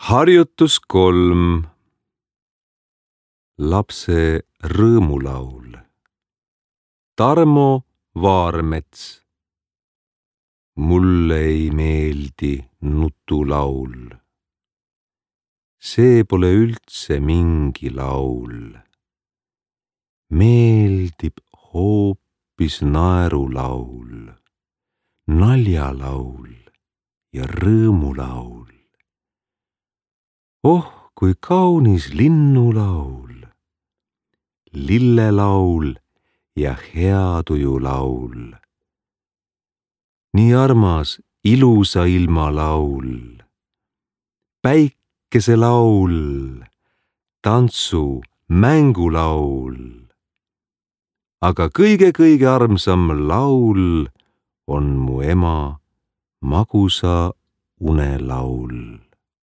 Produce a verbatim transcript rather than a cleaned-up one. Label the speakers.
Speaker 1: Harjutus kolm. Lapse rõõmulaul. Tarmo Vaarmets. Mulle ei meeldi nutulaul. See pole üldse mingi laul. Meeldib hoopis naerulaul, naljalaul ja rõõmulaul. Oh, kui kaunis linnulaul, lillelaul ja heatujulaul. Nii armas ilusa ilma laul, päikeselaul, tantsu, mängulaul. Aga kõige-kõige armsam laul on mu ema magusa unelaul.